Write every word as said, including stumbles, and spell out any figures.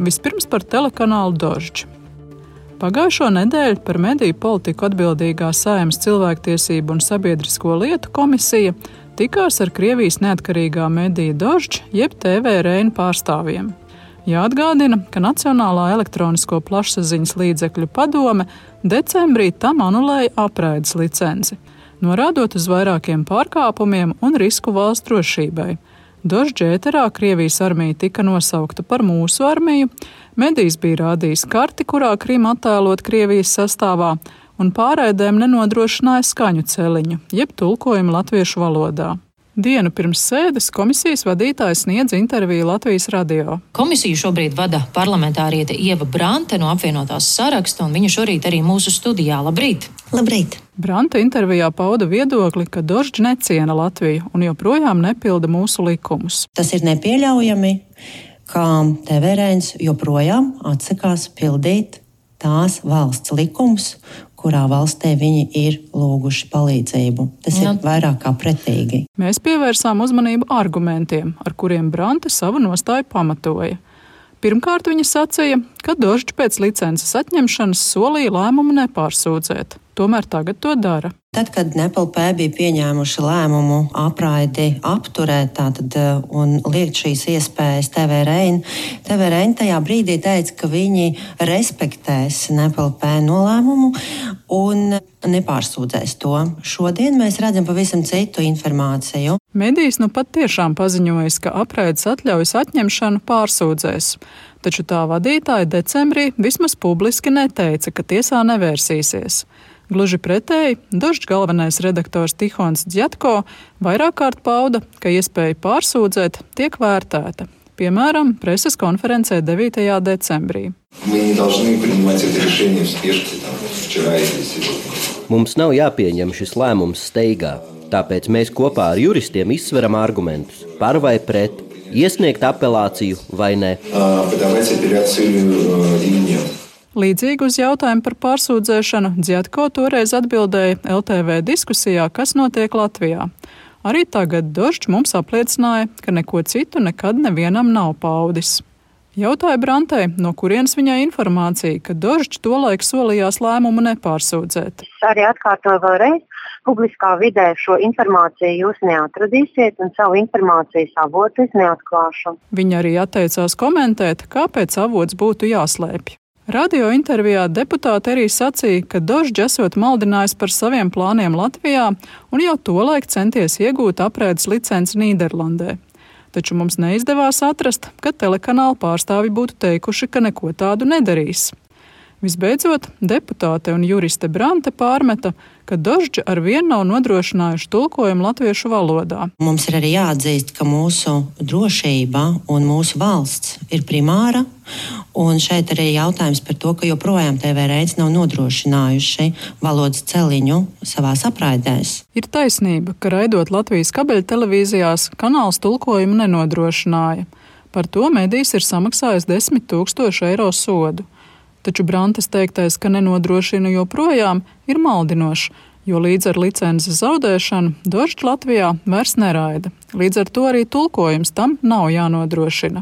Vispirms par telekanālu Dožd. Pagājušo nedēļu par mediju politiku atbildīgā Saeimas cilvēktiesību un sabiedrisko lietu komisija tikās ar Krievijas neatkarīgā medija Dožd jeb T V Rein pārstāvjiem. Jāatgādina, ka Nacionālā elektronisko plašsaziņas līdzekļu padome decembrī tam anulēja apraides licenci, norādot uz vairākiem pārkāpumiem un risku valsts drošībai. Dožd ēterā Krievijas armija tika nosaukta par mūsu armiju, medijs bija rādījis karti, kurā Krima attēlot Krievijas sastāvā, un pārraidēm nenodrošināja skaņu celiņu, jeb tulkojumu latviešu valodā. Dienu pirms sēdes komisijas vadītājs sniedz interviju Latvijas radio. Komisiju šobrīd vada parlamentāriete Ieva Brante no apvienotās saraksta, un viņa šorīt arī mūsu studijā. Labrīt! Labrīt! Brante intervijā pauda viedokli, ka Dožd neciena Latviju un joprojām nepilda mūsu likumus. Tas ir nepieļaujami, ka T V Reins joprojām atsakās pildīt tās valsts likumus, kurā valstī viņi ir lūguši palīdzību. Tas ir vairāk kā pretīgi. Mēs pievērsām uzmanību argumentiem, ar kuriem Brante savu nostāju pamatoja. Pirmkārt, viņa sacīja, ka Dožd pēc licences atņemšanas solīja lēmumu nepārsūdzēt. Tomēr tagad to dara. Tad, kad N E P L P bija pieņēmuši lēmumu apraidi apturēt tātad, un liekt šīs iespējas T V Rein, T V Rein tajā brīdī teica, ka viņi respektēs N E P L P nolēmumu un nepārsūdzēs to. Šodien mēs redzam pavisam citu informāciju. Medijs nu pat tiešām paziņojis, ka apraides atļaujas atņemšanu pārsūdzēs. Taču tā vadītāja decembrī vismaz publiski neteica, ka tiesā nevērsīsies. Gluži pretēji, Dožd galvenais redaktors Tihons Dzjatko vairāk kārt pauda, ka iespēja pārsūdzēt tiek vērtēta. Piemēram, preses konferencē devītajā decembrī. Mums nav jāpieņem šis lēmums steigā, tāpēc mēs kopā ar juristiem izsveram argumentus par vai pret, iesniegt apelāciju vai ne. Līdzīgi uz jautājumu par pārsūdzēšanu Dzjatko toreiz atbildēja L T V diskusijā, kas notiek Latvijā. Arī tagad Dožd mums apliecināja, ka neko citu nekad nevienam nav paudis. Jautāja Brantei, no kurienes viņai informācija, ka Dožd tolaik solījās lēmumu nepārsūdzēt. Es arī atkārtoju vēlreiz, publiskā vidē šo informāciju jūs neatradīsiet un savu informācijas avotu es neatklāšu. Viņa arī atteicās komentēt, kāpēc avots būtu jāslēpj. Radio intervijā deputāte arī sacīja, ka Dožd esot maldinājis par saviem plāniem Latvijā un jau tolaik centies iegūt apraides licenci Nīderlandē. Taču mums neizdevās atrast, ka telekanāla pārstāvi būtu teikuši, ka neko tādu nedarīs. Visbeidzot, deputāte un juriste Brante pārmeta, ka Dožd ar vienu nav nodrošinājuši tulkojumu latviešu valodā. Mums ir arī jāatzīst, ka mūsu drošība un mūsu valsts ir primāra, un šeit arī jautājums par to, ka joprojām T V Reins nav nodrošinājuši valodas celiņu savās apraidēs. Ir taisnība, ka raidot Latvijas kabeļtelevīzijās kanāls tulkojumu nenodrošināja. Par to medijs ir samaksājis desmit tūkstošu eiro sodu. Taču Brantes teiktais, ka nenodrošina joprojām, ir maldinošs, jo līdz ar licences zaudēšanu Dožd Latvijā vairs neraida. Līdz ar to arī tulkojums tam nav jānodrošina.